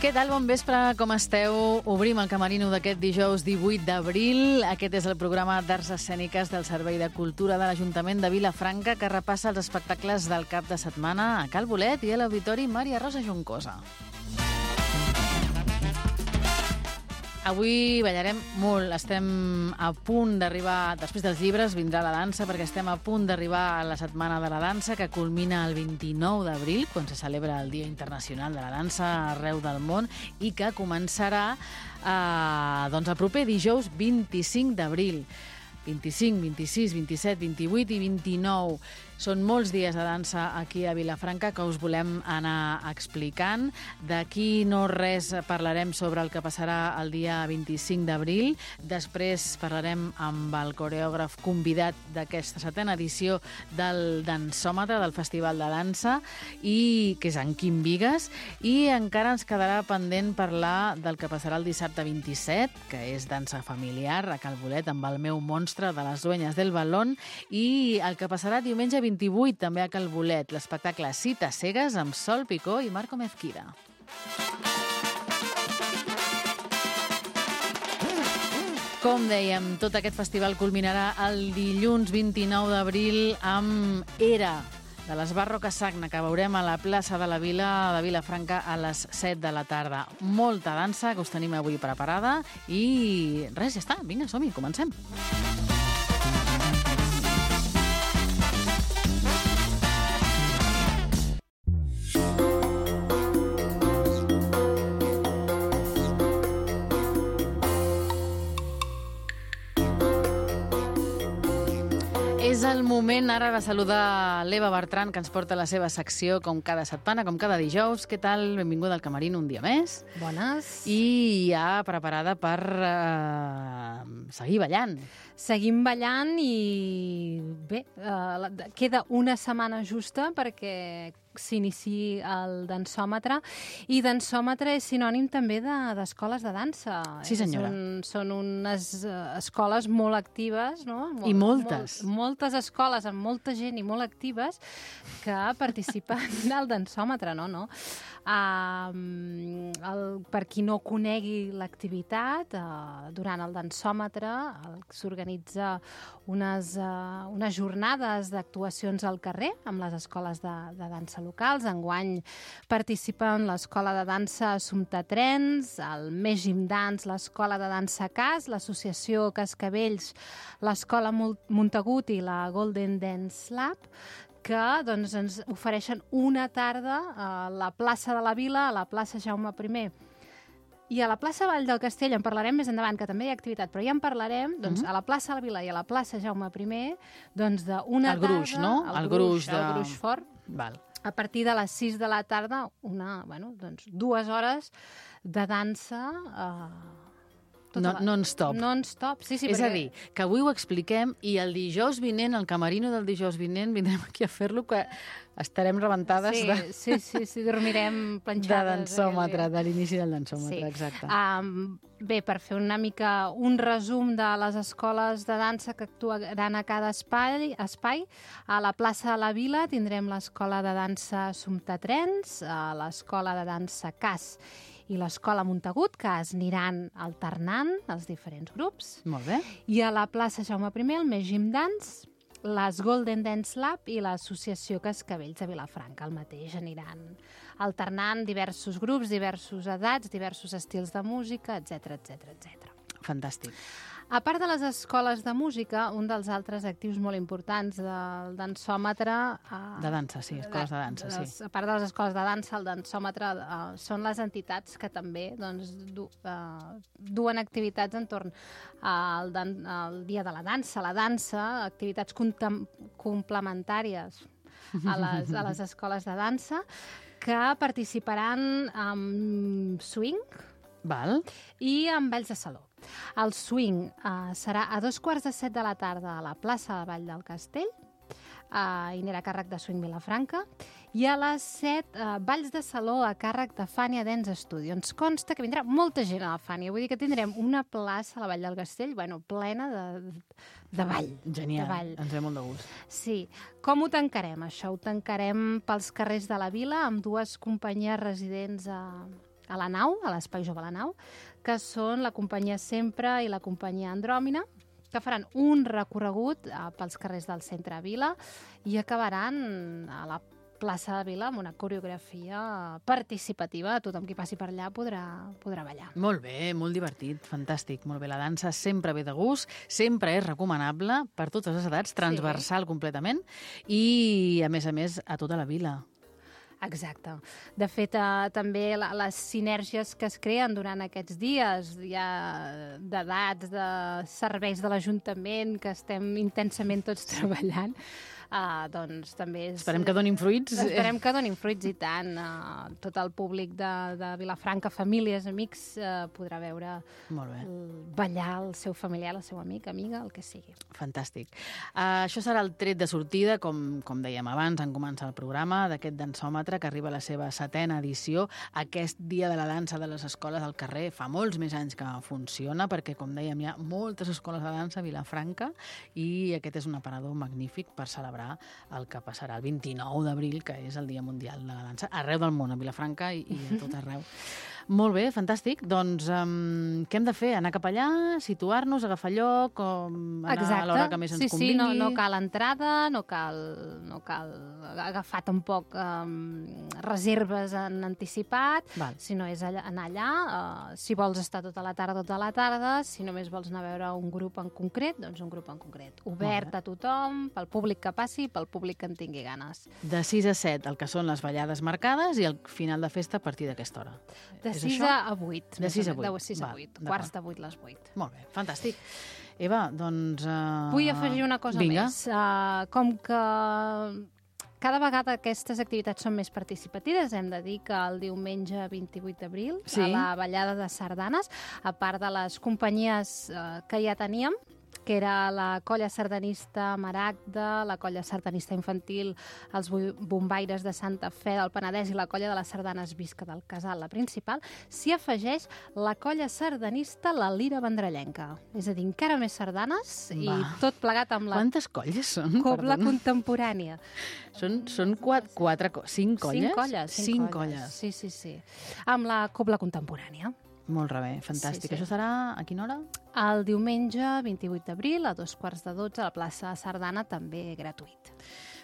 Què tal? Bon vespre, com esteu? Obrim el camerino d'aquest dijous 18 d'abril. Aquest és el programa d'Arts Escèniques del Servei de Cultura de l'Ajuntament de Vilafranca, que repassa els espectacles del cap de setmana a Cal Bolet i a l'Auditori Maria Rosa Juncosa. Avui ballarem molt, estem a punt d'arribar, després dels llibres vindrà la dansa, perquè estem a punt d'arribar a la Setmana de la Dansa, que culmina el 29 d'abril, quan se celebra el Dia Internacional de la Dansa arreu del món, i que començarà el proper dijous 25 d'abril. 25, 26, 27, 28 i 29. Són molts dies de dansa aquí a Vilafranca que us volem anar explicant. D'aquí no res parlarem sobre el que passarà el dia 25 d'abril. Després parlarem amb el coreògraf convidat d'aquesta setena edició del Dansòmetre, del Festival de Dansa, que és en Quim Bigues. I encara ens quedarà pendent parlar del que passarà el dissabte 27, que és dansa familiar a Cal Bolet, amb el meu monstre de les dueñas del balón, i el que passarà diumenge 28 també a Cal Bolet, l'espectacle Cites cegues amb Sol Picó i Marco Mezquida. Com dèiem, tot aquest festival culminarà el dilluns 29 d'abril amb Era, de l'Esbarro Casagna, que veurem a la plaça de la Vila de Vilafranca a les 7 de la tarda. Molta dansa que us tenim avui preparada i res, ja està, vinga, som-hi, comencem. És el moment ara de saludar l'Eva Bertran, que ens porta la seva secció com cada setmana, com cada dijous. Què tal? Benvinguda al camerino un dia més. Bones. I ja preparada per seguir ballant. Seguim ballant i bé, queda una setmana justa perquè s'iniciï el dansòmetre, i dansòmetre és sinònim també d'escoles de dansa. Sí, senyora. Són unes escoles molt actives, no? I moltes. Moltes escoles amb molta gent i molt actives que participen al dansòmetre, no? Per qui no conegui l'activitat, durant el dansòmetre s'organitza unes jornades d'actuacions al carrer amb les escoles de dansa locals. Enguany participen l'Escola de Dansa Assumpta Trens, el Més Gym Dance, l'Escola de Dansa Cas, l'Associació Cascavells, l'Escola Montagut i la Golden Dance Lab, que ens ofereixen una tarda a la plaça de la Vila, a la plaça Jaume I. I a la plaça Vall del Castell en parlarem més endavant, que també hi ha activitat, però ja en parlarem, a la plaça de la Vila i a la plaça Jaume I, d'una tarda... El gruix, no? El gruix fort. Val. A partir de les 6 de la tarda, 2 hores de dansa... Non-stop. Non-stop, sí. És a dir, que avui ho expliquem i el dijous vinent, el camerino del dijous vinent, vindrem aquí a fer-lo, que estarem rebentades Sí, dormirem planxades. De dansòmetre, de l'inici del dansòmetre, sí. Exacte. Bé, per fer una mica un resum de les escoles de dansa que actuaran a cada espai, a la plaça de la Vila tindrem l'Escola de Dansa Assumpta Trens, l'Escola de Dansa Cas i l'Escola Montagut, que es aniran alternant els diferents grups. Molt bé. I a la plaça Jaume I, el Més Gym Dance, les Golden Dance Lab i l'Associació Cascavells de Vilafranca. El mateix aniran alternant diversos grups, diversos edats, diversos estils de música, etc. Fantàstic. A part de les escoles de música, un dels altres actius molt importants del dansòmetre... De dansa, sí, escoles de dansa, sí. A part de les escoles de dansa, el dansòmetre són les entitats que també duen activitats entorn al Dia de la Dansa, activitats complementàries a les escoles de dansa, que participaran amb swing, Val. I amb balls de saló. El swing serà a 7:15 de la tarda a la plaça de Vall del Castell, i anirà a càrrec de Swing Vilafranca, i a les 7 balls de saló a càrrec de Fania Dance Studio. Ens consta que vindrà molta gent a la Fania, vull dir que tindrem una plaça a la Vall del Castell plena de ball. Genial, de ball. ens ve molt de gust. Sí. Com ho tancarem, això? Ho tancarem pels carrers de la Vila amb dues companyies residents a la nau, a l'Espai Jove a la nau, que són la companyia Sempre i la companyia Andròmina, que faran un recorregut pels carrers del centre de Vila i acabaran a la plaça de Vila amb una coreografia participativa. Tothom qui passi per allà podrà ballar. Molt bé, molt divertit, fantàstic. Molt bé, la dansa sempre ve de gust, sempre és recomanable per totes les edats, transversal completament i, a més, a tota la vila. Exacte. De fet, també les sinergies que es creen durant aquests dies, ja d'edats, de serveis de l'Ajuntament, que estem intensament tots treballant, doncs també és... Esperem que donin fruits. Esperem que donin fruits, i tant. Tot el públic de Vilafranca, famílies, amics, podrà veure ballar el seu familiar, el seu amic, amiga, el que sigui. Fantàstic. Això serà el tret de sortida, com dèiem abans, en començar el programa, d'aquest dansòmetre que arriba a la seva 7ª edició. Aquest dia de la dansa de les escoles al carrer fa molts més anys que funciona, perquè, com dèiem, hi ha moltes escoles de dansa a Vilafranca i aquest és un aparador magnífic per celebrar el que passarà el 29 d'abril, que és el Dia Mundial de la Dansa, arreu del món, a Vilafranca i a tot arreu. Molt bé, fantàstic. Doncs què hem de fer? Anar cap allà, situar-nos, agafar lloc, anar a l'hora que més ens convingui? Sí, no cal entrada, no cal agafar tampoc reserves en anticipat, sinó és anar allà. Si vols estar tota la tarda, si només vols anar a veure un grup en concret, doncs un grup en concret. Obert a tothom, pel públic que passi, pel públic que en tingui ganes. De 6 a 7, el que són les ballades marcades, i el final de festa a partir d'aquesta hora. De 6 a 8. De 6 a 8. De 6 a 8. Quarts de 8, les 8. Molt bé, fantàstic. Eva, doncs... Vull afegir una cosa més. Com que cada vegada aquestes activitats són més participatives, hem de dir que el diumenge 28 d'abril, a la ballada de sardanes, a part de les companyies que ja teníem, que era la colla sardanista Maragda, la colla sardanista infantil, els bombaires de Santa Fe del Penedès i la colla de les sardanes Visca del Casal, la principal, s'hi afegeix la colla sardanista La Lira Vendrellenca. És a dir, encara més sardanes i tot plegat amb la... Quantes colles són? Cobla contemporània. Són 5 colles? 5 colles. Sí. Amb la cobla contemporània. Molt bé, fantàstic. Això serà a quina hora? El diumenge 28 d'abril a 2:45 a la plaça Sardana, també gratuït.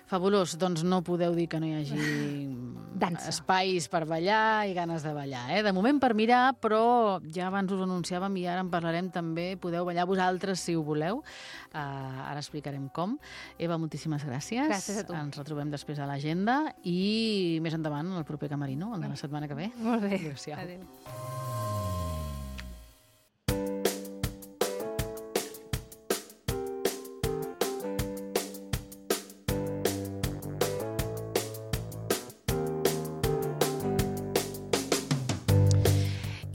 Fabulós, doncs no podeu dir que no hi hagi espais per ballar i ganes de ballar. De moment per mirar, però ja abans us anunciàvem i ara en parlarem també, podeu ballar vosaltres si ho voleu. Ara explicarem com. Eva, moltíssimes gràcies. Gràcies a tu. Ens retrobem després a l'agenda i més endavant el proper Camerino, el de la setmana que ve. Molt bé. Adéu-siau. Adéu.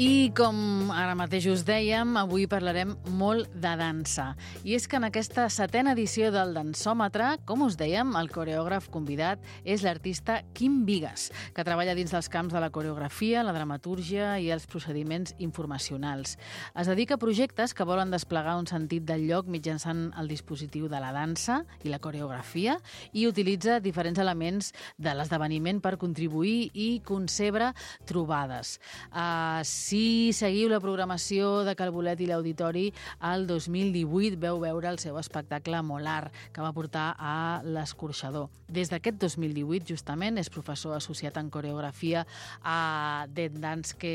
I com ara mateix us dèiem, avui parlarem molt de dansa. I és que en aquesta 7ª edició del Dansòmetre, com us dèiem, el coreògraf convidat és l'artista Quim Bigues, que treballa dins dels camps de la coreografia, la dramatúrgia i els procediments informacionals. Es dedica a projectes que volen desplegar un sentit del lloc mitjançant el dispositiu de la dansa i la coreografia i utilitza diferents elements de l'esdeveniment per contribuir i concebre trobades. Si seguiu la programació de Calbolet i l'Auditori, el 2018 veu veure el seu espectacle Molar, que va portar a l'Escorxador. Des d'aquest 2018, justament, és professor associat en coreografia a Dead Dance, que...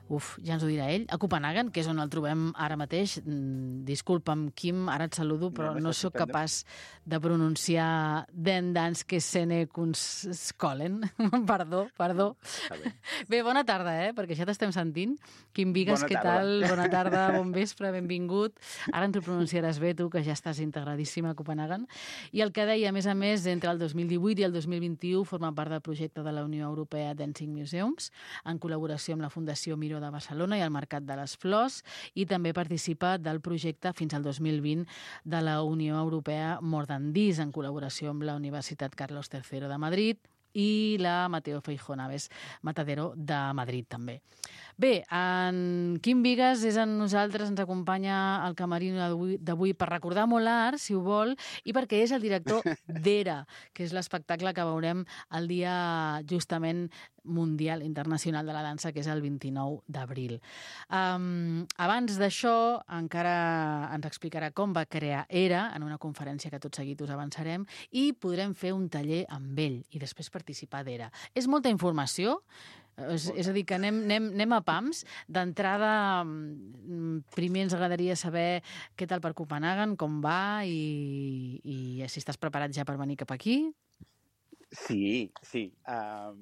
ja ens ho dirà ell, a Copenhagen, que és on el trobem ara mateix. Disculpa'm, Quim, ara et saludo, però no sóc capaç de pronunciar Den Danske Scenekunstskolen. Perdó. Bé, bona tarda, perquè ja t'estem sentint. Quim Bigues, què tal? Bona tarda, bon vespre, benvingut. Ara ens ho pronunciaràs bé, tu, que ja estàs integradíssima a Copenhagen. I el que deia, a més, entre el 2018 i el 2021 forma part del projecte de la Unió Europea Dancing Museums, en col·laboració amb la Fundació Miró de Barcelona i el Mercat de les Flors, i també participa del projecte fins al 2020 de la Unió Europea More Than This, en col·laboració amb la Universitat Carlos III de Madrid i la Mateo Feijó Naves Matadero de Madrid, també. Bé, en Quim Bigues és amb nosaltres, ens acompanya al Camerino d'avui per recordar Molar, si ho vol, i perquè és el director d'ERA, que és l'espectacle que veurem el dia justament Mundial Internacional de la Dansa, que és el 29 d'abril. Abans d'això, encara ens explicarà com va crear ERA, en una conferència que tot seguit us avançarem, i podrem fer un taller amb ell i després participar d'ERA. És molta informació, és a dir, que anem a pams. D'entrada, primer ens agradaria saber què tal per Copenhaguen, com va i si estàs preparat ja per venir cap aquí. Sí.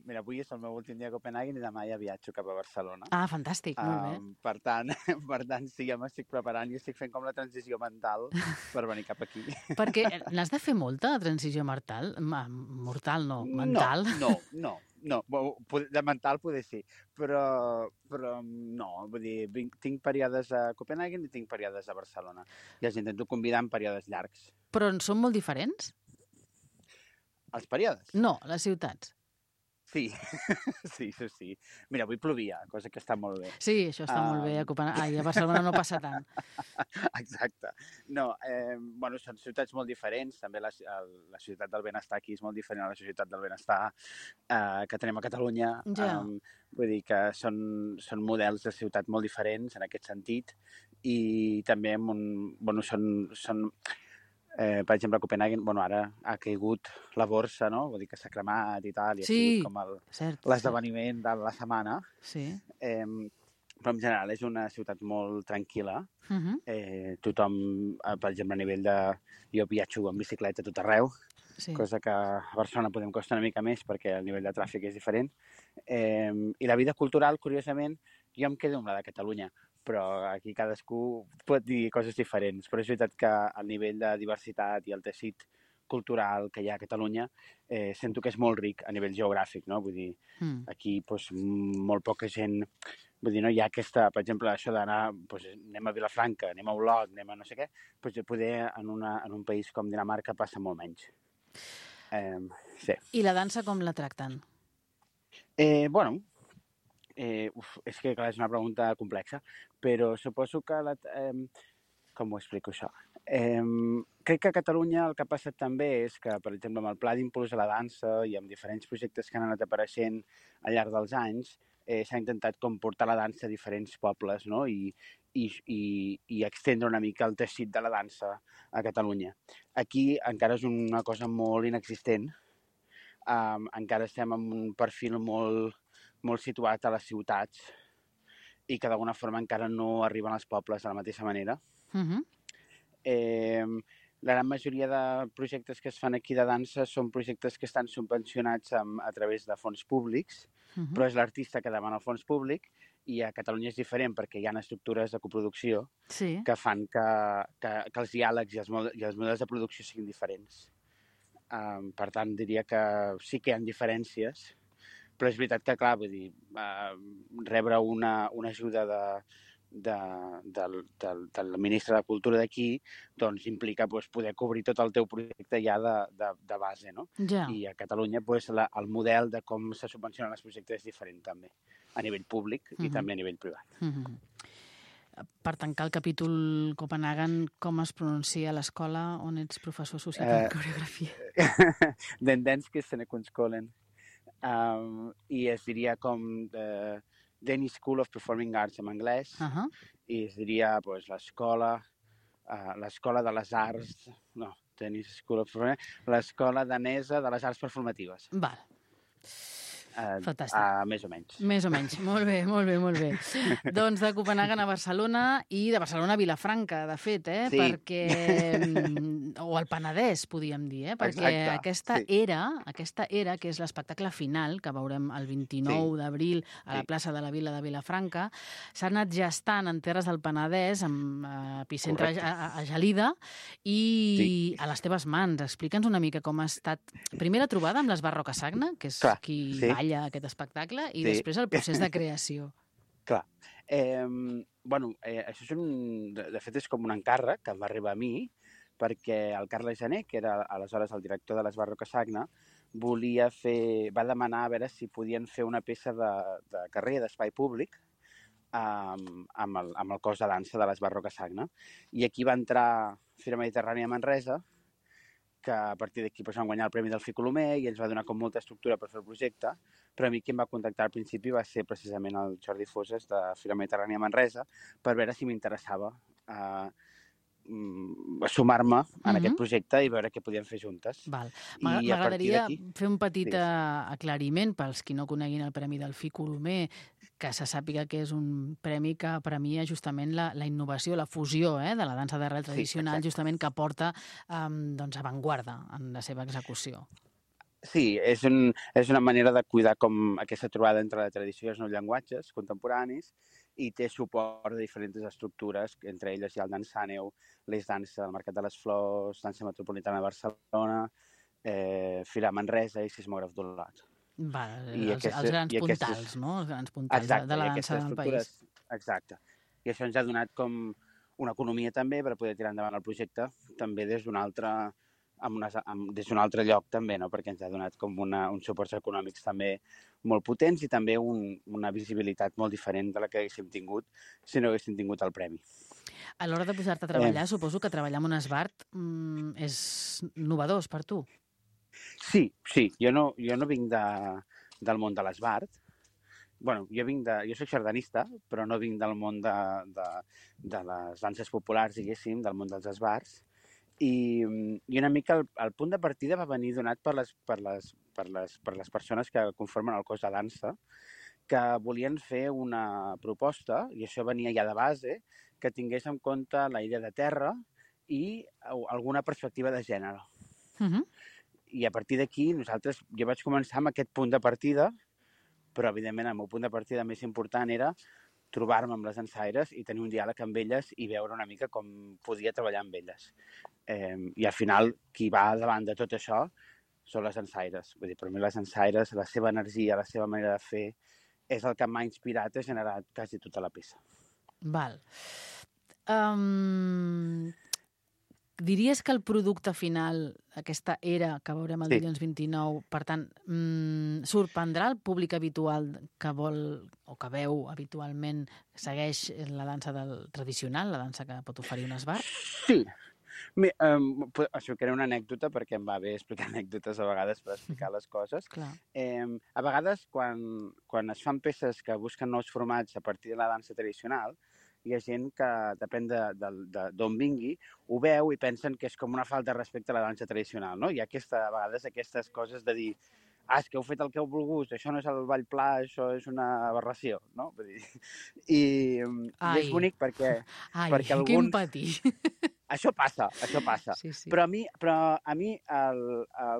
Mira, avui és el meu últim dia a Copenhaguen i demà ja viatjo cap a Barcelona. Ah, fantàstic, molt bé. Per tant, sí, ja m'estic preparant i estic fent com la transició mental per venir cap aquí. Perquè n'has de fer molta, la transició mortal? Mortal no, mental? No. De mental poder sí, però no, vull dir, tinc períodes a Copenhaguen i tinc períodes a Barcelona. I els intento combinar en períodes llargs. Però en són molt diferents? Els períodes? No, les ciutats. Sí. Mira, avui plovia, cosa que està molt bé. Sí, això està molt bé. A Barcelona no passa tant. Exacte. No, són ciutats molt diferents. També la ciutat del benestar aquí és molt diferent a la ciutat del benestar que tenim a Catalunya. Ja. Vull dir que són models de ciutat molt diferents en aquest sentit i també són per exemple, a Copenhaguen, ara ha caigut la borsa, no? Vull dir que s'ha cremat i tal, i ha sigut com l'esdeveniment de la setmana. Sí. Però en general és una ciutat molt tranquil·la. Tothom, per exemple, a nivell de... Jo viatjo en bicicleta a tot arreu, cosa que a Barcelona podem costar una mica més perquè el nivell de tràfic és diferent. I la vida cultural, curiosament, jo em quedo amb la de Catalunya, però aquí cadascú pot dir coses diferents. Però és veritat que el nivell de diversitat i el teixit cultural que hi ha a Catalunya sento que és molt ric a nivell geogràfic, no? Vull dir, aquí molt poca gent... Vull dir, no hi ha aquesta, per exemple, això d'anar, anem a Vilafranca, anem a Olot, anem a no sé què, poder en un país com Dinamarca passa molt menys. Sí. I la dansa com la tracten? És que clar, és una pregunta complexa, però suposo que... Com ho explico, això? Crec que a Catalunya el que ha passat també és que, per exemple, amb el Pla d'Impuls a la Dansa i amb diferents projectes que han anat apareixent al llarg dels anys, s'ha intentat com portar la dansa a diferents pobles, no? I extendre una mica el teixit de la dansa a Catalunya. Aquí encara és una cosa molt inexistent. Encara estem en un perfil molt situat a les ciutats i que d'alguna forma encara no arriben als pobles de la mateixa manera. La gran majoria de projectes que es fan aquí de dansa són projectes que estan subvencionats a través de fons públics, però és l'artista que demana el fons públic i a Catalunya és diferent perquè hi ha estructures de coproducció que fan que els diàlegs i els models de producció siguin diferents. Per tant, diria que sí que hi ha diferències, però és veritat que, clar, vull dir, rebre una ajuda del ministre de Cultura d'aquí doncs implica poder cobrir tot el teu projecte ja de base, no? Ja. I a Catalunya el model de com se subvencionen els projectes és diferent també, a nivell públic i també a nivell privat. Per tancar el capítol Copenhaguen, com es pronuncia a l'escola on ets professor associat en coreografia? Den danske scenekunstskolen. I es diria com Danish School of Performing Arts en anglès, i es diria l'escola de les arts, no, Danish School of Performing Arts, l'escola danesa de les arts performatives. Val. Fantàstic. Més o menys. Més o menys. Molt bé. Doncs de Copenhaguen a Barcelona i de Barcelona a Vilafranca, de fet, Sí. Perquè... o al Penedès, podíem dir, perquè aquesta era, que és l'espectacle final, que veurem el 29 d'abril a la plaça de la Vila de Vilafranca, s'ha anat gestant en terres del Penedès, amb epicentre a Gelida, i a les teves mans. Explica'ns una mica com ha estat, primer la trobada amb les Barroca Sagna, que és qui balla aquest espectacle, i després el procés de creació. Clar. Això de fet és com un encàrrec que va arribar a mi, perquè el Carles Jané, que era aleshores el director de les Barroca Sagna, va demanar a veure si podien fer una peça de carrer, d'espai públic, amb el cos de dansa de les Barroca Sagna. I aquí va entrar Fira Mediterrània a Manresa, que a partir d'aquí van guanyar el Premi del Colomer i ens va donar com molta estructura per fer el projecte, però a mi qui em va contactar al principi va ser precisament el Jordi Foses de Fira Mediterrània Manresa per veure si m'interessava sumar-me en aquest projecte i veure què podíem fer juntes. M'agradaria fer un petit aclariment pels qui no coneguin el Premi Delfí Colomer, que se sàpiga que és un premi que premia justament la innovació, la fusió de la dansa d'arrel tradicional, justament que porta avantguarda en la seva execució. Sí, és una manera de cuidar com aquesta trobada entre la tradició i els nous llenguatges contemporanis i té suport de diferents estructures, entre elles hi ha el Dansàneu, l'Eix Dansa, el Mercat de les Flors, Dansa Metropolitana de Barcelona, Fira Manresa i Sismògraf d'Olot. Els grans puntals, no? Els grans puntals de la dansa del país. Exacte. I això ens ha donat com una economia també per poder tirar endavant el projecte, també des d'un altre lloc també, no? Perquè ens ha donat com uns suports econòmics també molt potents i també una visibilitat molt diferent de la que haguéssim tingut si no haguéssim tingut el premi. A l'hora de posar-te a treballar, suposo que treballar amb un esbart és novedós per tu. Sí. Jo no vinc del món de l'esbart. Bueno, jo soc sardanista, però no vinc del món de les danses populars, diguéssim, del món dels esbarts. I una mica el punt de partida va venir donat per les persones que conformen el cos de dansa, que volien fer una proposta, i això venia ja de base, que tingués en compte la idea de terra i alguna perspectiva de gènere. I a partir d'aquí jo vaig començar amb aquest punt de partida, però evidentment el meu punt de partida més important era trobar-me amb les dansaires i tenir un diàleg amb elles i veure una mica com podia treballar amb elles. I al final, qui va davant de tot això són les dansaires. Vull dir, per mi les dansaires, la seva energia, la seva manera de fer, és el que m'ha inspirat a generar quasi tota la peça. Val. Diries que el producte final, aquesta era que veurem el dilluns 29, per tant, sorprendrà el públic habitual que vol o que veu habitualment, segueix la dansa tradicional, la dansa que pot oferir un esbart? Sí. Això que era una anècdota, perquè em va bé explicar anècdotes a vegades per explicar les coses. A vegades, quan es fan peces que busquen nous formats a partir de la dansa tradicional, hi ha gent que, depèn d'on vingui, ho veu i pensen que és com una falta de respecte a la dansa tradicional, no? Hi ha a vegades aquestes coses de dir és que heu fet el que heu volgut, això no és el ball pla, això és una aberració, no? Vull dir, i és bonic perquè alguns... Quin patí! Això passa. Sí. Però a mi el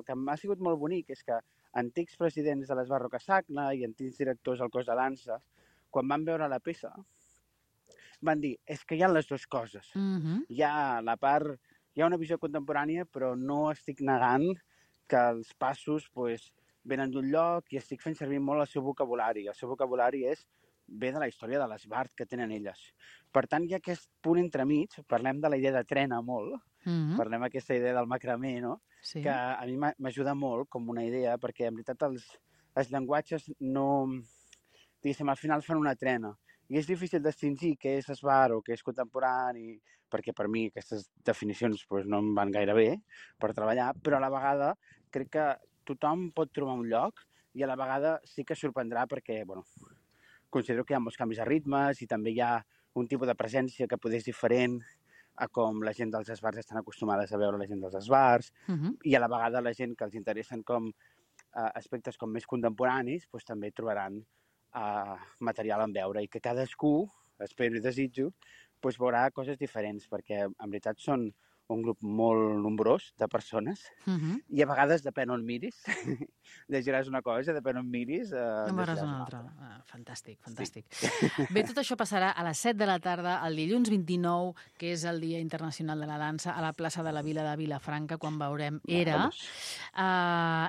que m'ha sigut molt bonic és que antics presidents de l'Esbart Roca-Sacna i antics directors del cos de dansa, quan van veure la peça, van dir, és que hi ha les dues coses. Hi ha una visió contemporània, però no estic negant que els passos venen d'un lloc i estic fent servir molt el seu vocabulari. El seu vocabulari ve de la història de l'esbart que tenen elles. Per tant, hi ha aquest punt entremig, parlem de la idea de trena molt, parlem d'aquesta idea del macramé, no? Que a mi m'ajuda molt com una idea, perquè en veritat els llenguatges no... Diguéssim, al final fan una trena. I és difícil distingir què és esbart o què és contemporani, perquè per mi aquestes definicions no em van gaire bé per treballar, però a la vegada crec que tothom pot trobar un lloc i a la vegada sí que sorprendrà perquè, considero que hi ha molts canvis de ritmes i també hi ha un tipus de presència que potser és diferent a com la gent dels esbarts estan acostumades a veure la gent dels esbarts i a la vegada la gent que els interessen com aspectes com més contemporanis també trobaran material en veure i que cadascú, espero i desitjo, veurà coses diferents perquè en veritat són un grup molt nombrós de persones i a vegades depèn on miris, llegiràs una cosa, depèn on miris, en veuràs una altra. Fantàstic. Sí. Bé, tot això passarà a les 7 de la tarda, el dilluns 29, que és el Dia Internacional de la Dansa, a la plaça de la Vila de Vilafranca, quan veurem Era.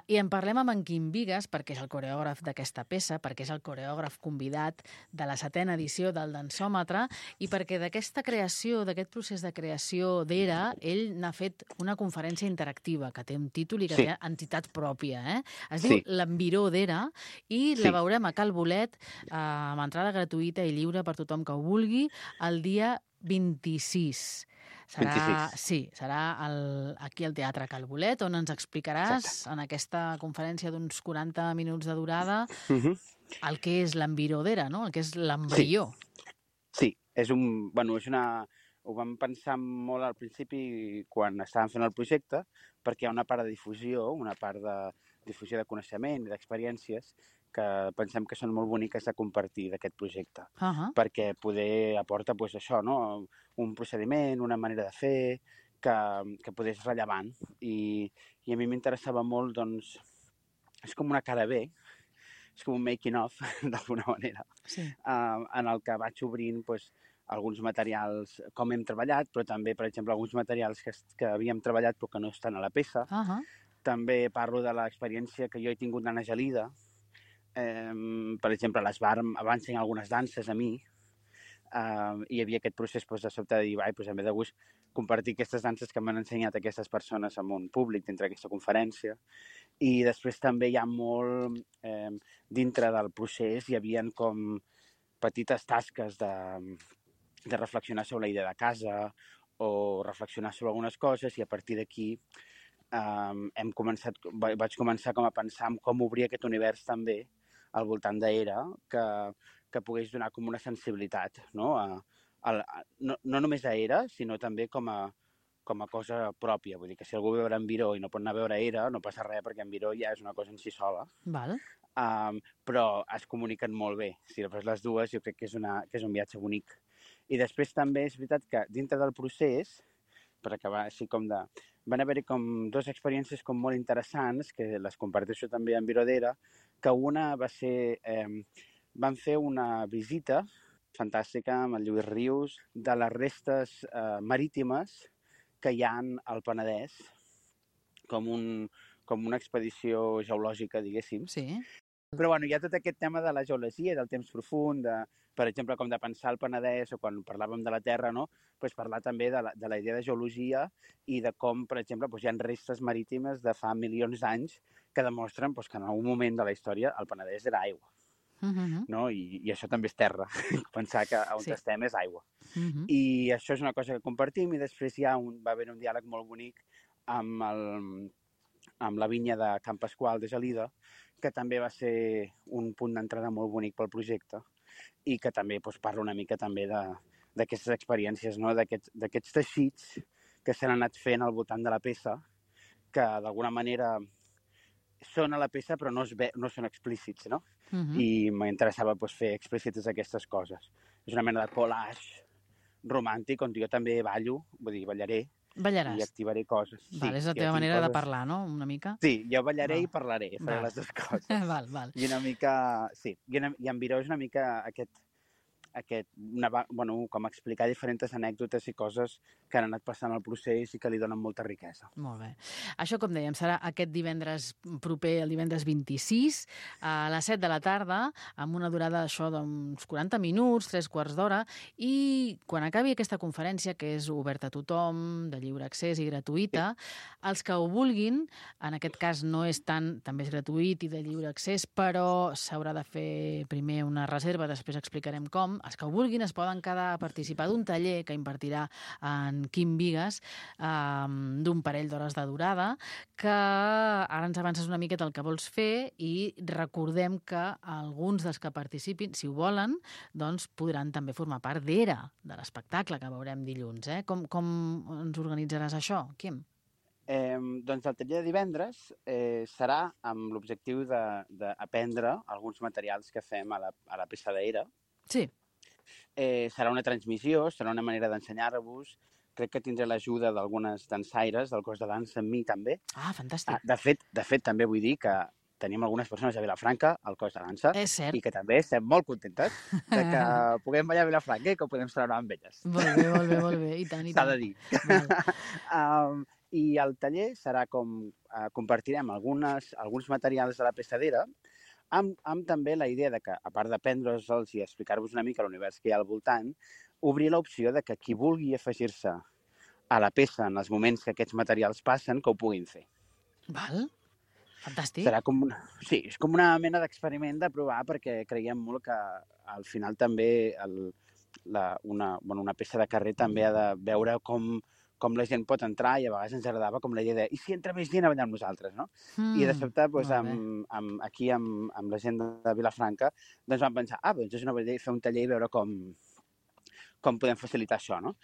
I en parlem amb en Quim Bigues, perquè és el coreògraf d'aquesta peça, perquè és el coreògraf convidat de la 7ª edició del Dansòmetre, i perquè d'aquesta creació, d'aquest procés de creació d'Era, ell n'ha fet una conferència interactiva que té un títol i que té entitat pròpia. Es diu L'Enviró d'Era i la veurem a Cal Bolet amb entrada gratuïta i lliure per tothom que ho vulgui el dia 26. Sí, serà aquí al Teatre Cal Bolet, on ens explicaràs en aquesta conferència d'uns 40 minuts de durada el que és l'enviró d'Era, no? El que és l'embrió. Sí, ho vam pensar molt al principi quan estàvem fent el projecte, perquè hi ha una part de difusió, una part de difusió de coneixement i d'experiències que pensem que són molt boniques de compartir d'aquest projecte. Perquè poder aporta això, no? Un procediment, una manera de fer, que poder és rellevant. I a mi m'interessava molt, doncs, és com una cara B, és com un making-of, d'alguna manera, en el que vaig obrint alguns materials, com hem treballat, però també, per exemple, alguns materials que havíem treballat però que no estan a la peça. També parlo de l'experiència que jo he tingut d'Anna Gelida. Per exemple, a l'Esbar em va ensenyar algunes danses a mi, i hi havia aquest procés de sobte de dir, em ve de gust compartir aquestes danses que m'han ensenyat aquestes persones amb un públic dintre d'aquesta conferència. I després també hi ha molt, dintre del procés, hi havia com petites tasques de reflexionar sobre la idea de casa o reflexionar sobre algunes coses, i a partir d'aquí vaig començar com a pensar en com obrir aquest univers també al voltant d'Era, que pogués donar com una sensibilitat, no? No només a Era, sinó també com a cosa pròpia. Vull dir que si algú ve a veure Enviró i no pot anar a veure Era, no passa res, perquè Enviró ja és una cosa en si sola. Però es comuniquen molt bé. Si fas les dues, jo crec que és un viatge bonic. I després també és veritat que dintre del procés, per acabar així com de... Van haver-hi com dues experiències com molt interessants, que les comparteixo també amb Enviró d'Era, que una va ser... Van fer una visita fantàstica amb el Lluís Rius de les restes marítimes que hi ha al Penedès, com una expedició geològica, diguéssim. Sí. Però hi ha tot aquest tema de la geologia, del temps profund, per exemple, com de pensar el Penedès, o quan parlàvem de la Terra, no? Parlar també de la idea de geologia i de com, per exemple, hi ha restes marítimes de fa milions d'anys que demostren que en algun moment de la història el Penedès era aigua. No? I això també és terra. Pensar que on estem és aigua. I això és una cosa que compartim, i després va haver un diàleg molt bonic amb la vinya de Can Pasqual de Gelida, que també va ser un punt d'entrada molt bonic pel projecte, i que també parla una mica també d'aquestes experiències, no? D'aquests teixits que s'han anat fent al voltant de la peça, que d'alguna manera són a la peça però no són explícits, no? I m'interessava fer explícites aquestes coses. És una mena de collage romàntic on jo també ballo, vull dir, ballaré. Ballaràs. I activaré coses. És la teva manera de parlar, no? Una mica? Sí, jo ballaré i parlaré, faré les dues coses. Val. I una mica, sí, i Enviró és una mica com explicar diferents anècdotes i coses que han anat passant al procés i que li donen molta riquesa. Molt bé. Això, com dèiem, serà aquest divendres proper, el divendres 26, a les 7 de la tarda, amb una durada d'uns 40 minuts, 3/4 d'hora, i quan acabi aquesta conferència, que és oberta a tothom, de lliure accés i gratuïta, els que ho vulguin, en aquest cas no és tant, també és gratuït i de lliure accés, però s'haurà de fer primer una reserva, després explicarem com. Els que ho vulguin es poden quedar a participar d'un taller que impartirà en Quim Bigues, d'un parell d'hores de durada, que ara ens avances una miqueta el que vols fer, i recordem que alguns dels que participin, si ho volen, doncs podran també formar part d'Era, de l'espectacle que veurem dilluns. Com ens organitzaràs això, Quim? Doncs el taller de divendres serà amb l'objectiu d'aprendre alguns materials que fem a la peça d'Era. Sí. Serà una transmissió, serà una manera d'ensenyar-vos. Crec que tindré l'ajuda d'algunes dansaires del cos de dansa amb mi també. Ah, fantàstic. De fet, també vull dir que tenim algunes persones a Vilafranca, al cos de dansa, i que també estem molt contentes de que puguem ballar a Vilafranca i que ho podem celebrar amb elles. Molt bé, i tant. S'ha de dir. I el taller serà com compartirem alguns materials de la peça d'Era, amb també la idea de que, a part d'aprendre'ls i explicar-vos una mica l'univers que hi ha al voltant, obrir l'opció de que qui vulgui afegir-se a la peça en els moments que aquests materials passen, que ho puguin fer. Val. Fantàstic. Serà és com una mena d'experiment de provar, perquè creiem molt que al final també una peça de carrer també ha de veure com la gent pot entrar, i a vegades ens agradava com la idea de i si entra més gent a ballar amb nosaltres, no? I de sobte, aquí amb la gent de Vilafranca, doncs vam pensar, doncs és una bona idea fer un taller i veure com podem facilitar això, no?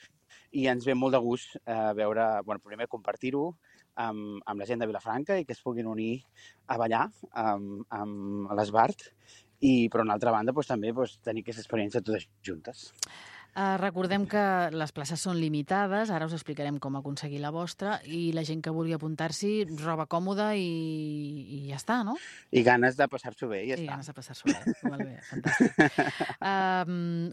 I ens ve molt de gust veure, primer compartir-ho amb la gent de Vilafranca i que es puguin unir a ballar amb l'Esbart, i per una altra banda també tenir aquesta experiència totes juntes. Recordem que les places són limitades, ara us explicarem com aconseguir la vostra, i la gent que vulgui apuntar-s'hi, roba còmoda i ja està, no? I ganes de passar-s'ho bé, i ja està. I ganes de passar-s'ho bé, molt bé, fantàstic.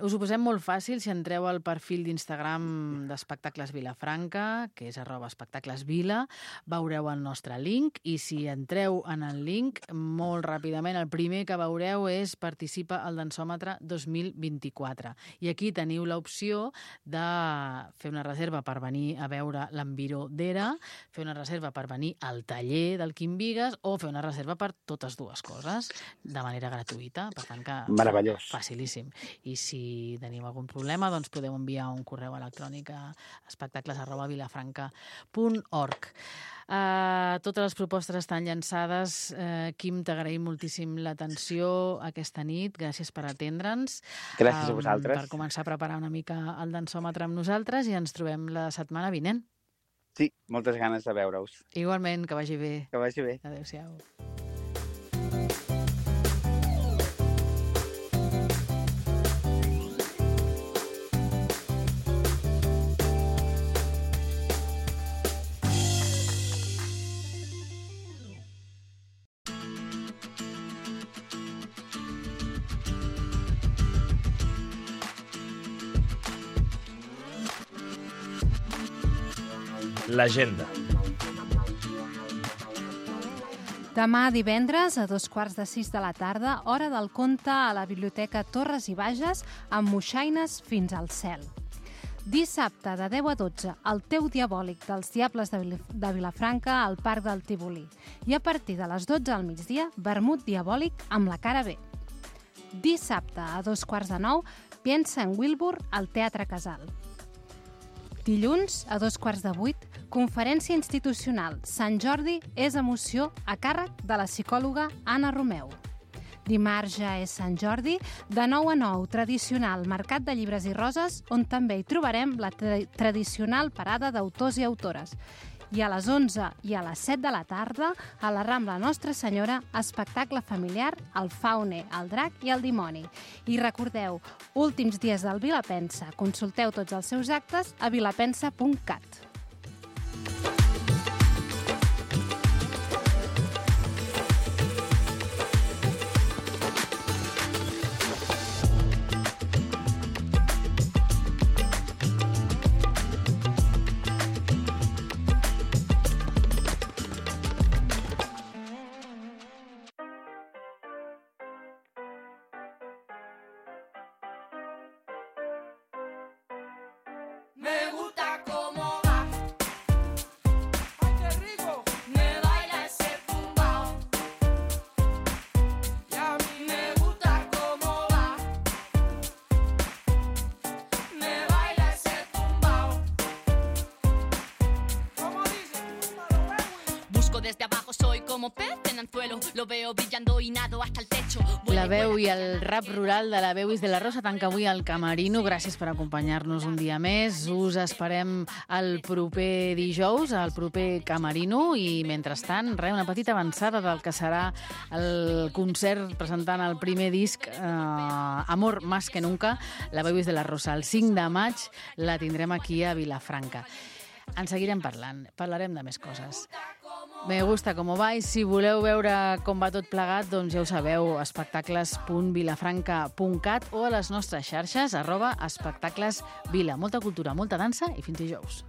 Us ho posem molt fàcil si entreu al perfil d'Instagram d'Espectacles Vilafranca, que és @espectaclesvila, veureu el nostre link, i si entreu en el link, molt ràpidament, el primer que veureu és Participa al Dansòmetre 2024. I aquí teniu l'opció de fer una reserva per venir a veure l'Enviró d'Era, fer una reserva per venir al taller del Quim Vigas o fer una reserva per totes dues coses de manera gratuïta. Per tant, que meravellós. Facilíssim. I si tenim algun problema, doncs podeu enviar un correu electrònic a espectacles@vilafranca.org. Totes les propostes estan llançades. Quim, t'agraïm moltíssim l'atenció aquesta nit. Gràcies per atendre'ns. Gràcies a vosaltres. Per començar a preparar una mica el dansòmetre amb nosaltres, i ens trobem la setmana vinent. Sí, moltes ganes de veure-us. Igualment, que vagi bé. Que vagi bé. Adéu-siau. L'agenda. Demà divendres, a 5:15 de la tarda, hora del conte a la Biblioteca Torres i Bages, amb moixaines fins al cel. Dissabte, de 10 a 12, el teu diabòlic dels Diables de Vilafranca al Parc del Tívoli. I a partir de les 12 al migdia, vermut diabòlic amb la cara B. Dissabte, a 8:45, Piensa en Wilbur al Teatre Casal. Dilluns, a 7:15, conferència institucional Sant Jordi és emoció, a càrrec de la psicòloga Anna Romeu. Dimarts ja és Sant Jordi, de 9 a 9, tradicional mercat de llibres i roses, on també hi trobarem la tradicional parada d'autors i autores. I a les 11 i a les 7 de la tarda, a la Rambla Nostra Senyora, espectacle familiar, el Faune, el Drac i el Dimoni. I recordeu, últims dies del Vilapensa. Consulteu tots els seus actes a vilapensa.cat. Me gusta cómo va. Ay, qué rico. Me baila ese tumbao. Y a mí me gusta cómo va. Me baila ese tumbao. ¿Cómo dice? Busco desde abajo, soy como pez en anzuelo. Lo veo brillando y nado hasta el techo. La veu i el rap rural de la Veuis de la Rosa tanca avui al Camerino. Gràcies per acompanyar-nos un dia més. Us esperem el proper dijous, al proper Camerino, i mentrestant, una petita avançada del que serà el concert presentant el primer disc Amor más que nunca, la Veuis de la Rosa. El 5 de maig la tindrem aquí a Vilafranca. En seguirem parlant, parlarem de més coses. Me gusta com va, i si voleu veure com va tot plegat, doncs ja ho sabeu, espectacles.vilafranca.cat o a les nostres xarxes, @espectaclesvila. Molta cultura, molta dansa i fins dijous.